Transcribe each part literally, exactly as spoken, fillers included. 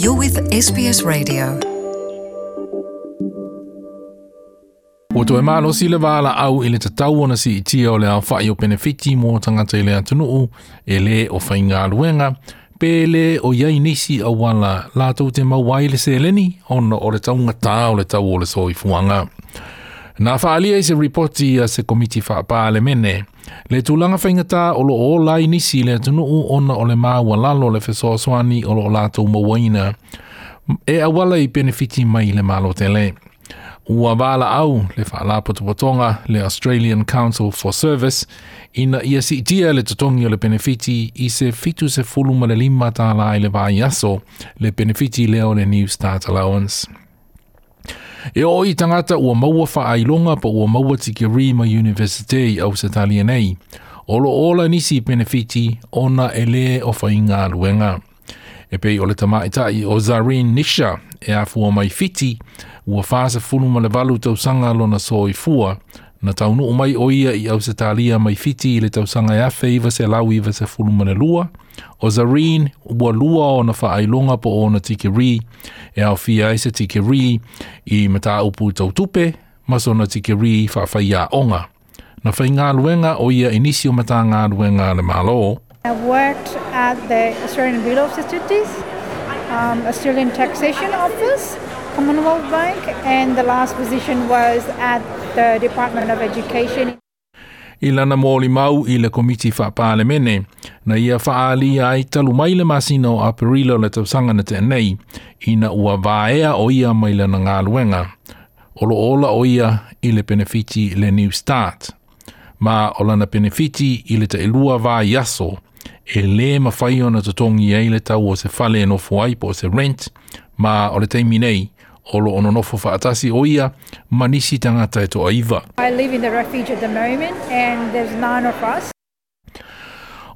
You're with S B S Radio. Ua toe malosi le valaau i le tatau ona siitia o le aofa'i o penefiti mo tagata i le atunuu e lē o faigaluega pe lē o i ai nisi auala latou te maua ai le seleni ona o le taugatā o le tau o le soifuaga. Na faaalia i se ripoti a se komiti faapalemene le tulaga faigata o loo ola ai nisi i le atunuu ona o le maualalo le fesoasoani o loo latou mauaina e auala i penefiti mai le Malo tele. Ua valaau le faalapotopotoga le Australian Council for Service ina ia siitia le totogi o le penefiti i se fitu sefulu ma le lima tālā i le vaiaso, le penefiti lea o le Newstart Allowance. E oo i tagata ua maua faailoga po ua maua tikeri mai Universite i Ausetalia nei. O lo ola nisi penefiti ona e lē o faigaluega. E pei o le tamaitai o Zarin Nisha e afua mai Fiti, ua fasefulu ma le valu tausaga lona soifua. Na taunuu mai o ia i Ausetalia mai Fiti i le tausaga e afe iva selau iva sefulu ma le lua. O Zareen ua lua ona faailoga po o ona tikeri, e aofia ai se tikeri i mataupu tau tupe ma sona tikeri faafaiaoga. Na faigaluega o ia i nisi o Matagaluega a le Malo. I worked at the Australian Bureau of Statistics, um, Australian Taxation Office, Commonwealth Bank, and the last position was at the Department of Education. I lana molimau i le komiti faapalemene, na ia faaalia ai talu mai le masina o Aperila o le tausaga na tea nei, ina ua vaea o ia mai lana galuega, o lo ola o ia i le penefiti le Newstart. Ma o lana penefiti i le tailua vaiaso, e lē mafai ona totogi ai le tau o se fale e nofo ai po o se rent, ma o le taimi nei, o lo o nonofo faatasi o ia ma nisi tagata e toaiva. I live in the refuge at the moment, and there's nine of us.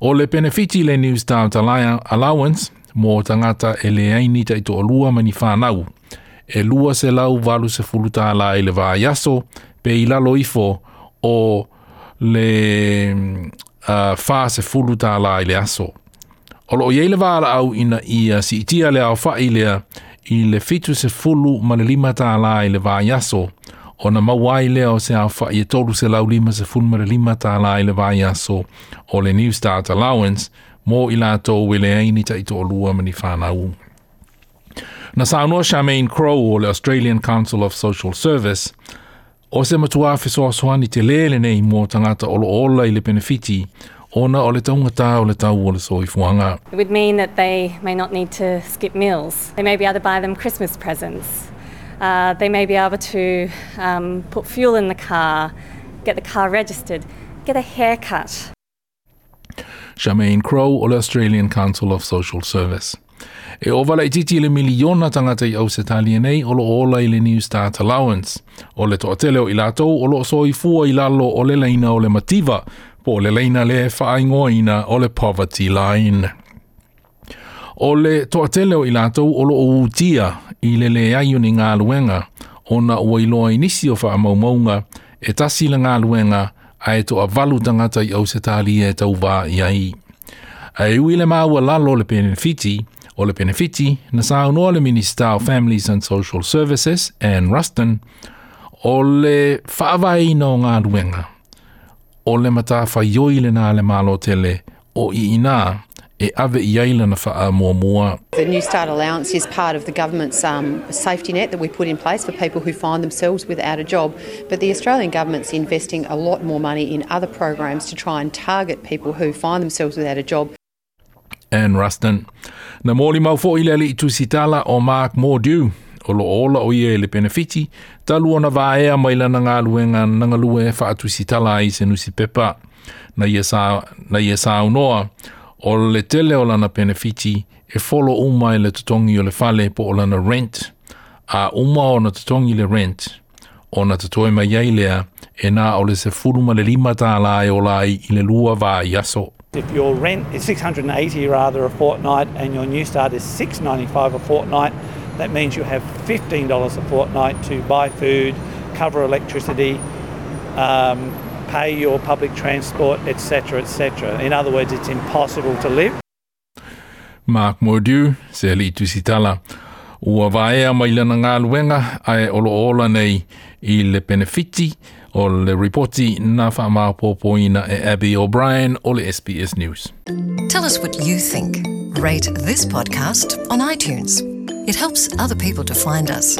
O le penefiti le Newstart Allowance mo tagata e leai ni taitoalua ma ni fanau. E lua selau valu sefulu tālā i le vaiaso, pe i lalo ifo o le uh, fasefulu tālā i le aso. O lo o i ai le valaau ina ia siitia le aofa'i lea i le fitu sefulu ma le lima tālā i le vaiaso, ona maua ai lea o se aofa'i e tolu selau lima sefulu ma le lima tālā i le vaiaso o le Newstart Allowance mo i latou e leai ni taitoalua ma ni fanau. Na saunoa Charmaine Crow o le Australian Council of Social Service, o se matuā fesoasoani telē lenei mo tagata o lo ola i le penefiti ona o le taugatā o le tau o le soifuaga. It would mean that they may not need to skip meals. They may be able to buy them Christmas presents. Uh, they may be able to um, put fuel in the car, get the car registered, get a haircut. Charmaine Crow o le Australian Council of Social Service. E ova laitiiti le miliona tagata i Ausetalia nei o lo ola i le Newstart Allowance. O le toatele o i latou o lo o soifua i lalo o le laina o le mativa, po o le laina le faaigoaina o le poverty line. O le toatele o i latou o lo o utia i le leai o ni galuega, ona ua iloa i nisi o faamaumauga e tasi le galuega ae toavalu tagata i Ausetalia e tauvā i ai. Ae ui le maualalo le penefiti, o le penefiti, na saunoa le Minister of Families and Social Services, Anne Ruston, o le faavaeina o galuega, o le matafaioi lenā le Malo tele o i inā e ave i ai lana faamuamua. The Newstart Allowance is part of the government's um, safety net that we put in place for people who find themselves without a job. But the Australian government's investing a lot more money in other programs to try and target people who find themselves without a job. Anne Ruston. Na molimau fo'i le alii tusitala o Mark Mordew, o lo ola o ia i le penefiti, talu ona vaea mai lana galuega na galue faatusitala ai se nusipepa. Na ia, sa, na ia saunoa, o le tele o lana penefiti e folo uma i le totogi o le fale po o lana rent. A uma ona totogi le rent, ona totoe mai ai lea e na o le sefulu ma le lima tālā e ola ai i le lua vaiaso. If your rent is six hundred and eighty rather a fortnight and your Newstart is six ninety-five a fortnight, that means you have fifteen dollars a fortnight to buy food, cover electricity, um, pay your public transport, et cetera, et cetera. In other words, it's impossible to live. Mark Mordue, se alii tusitala, ua vaea mai lana galuega ae o loo ola nei i le penefiti. O le ripoti na faamaopoopoina e Abby O'Brien o le S B S News. Tell us what you think. Rate this podcast on iTunes. It helps other people to find us.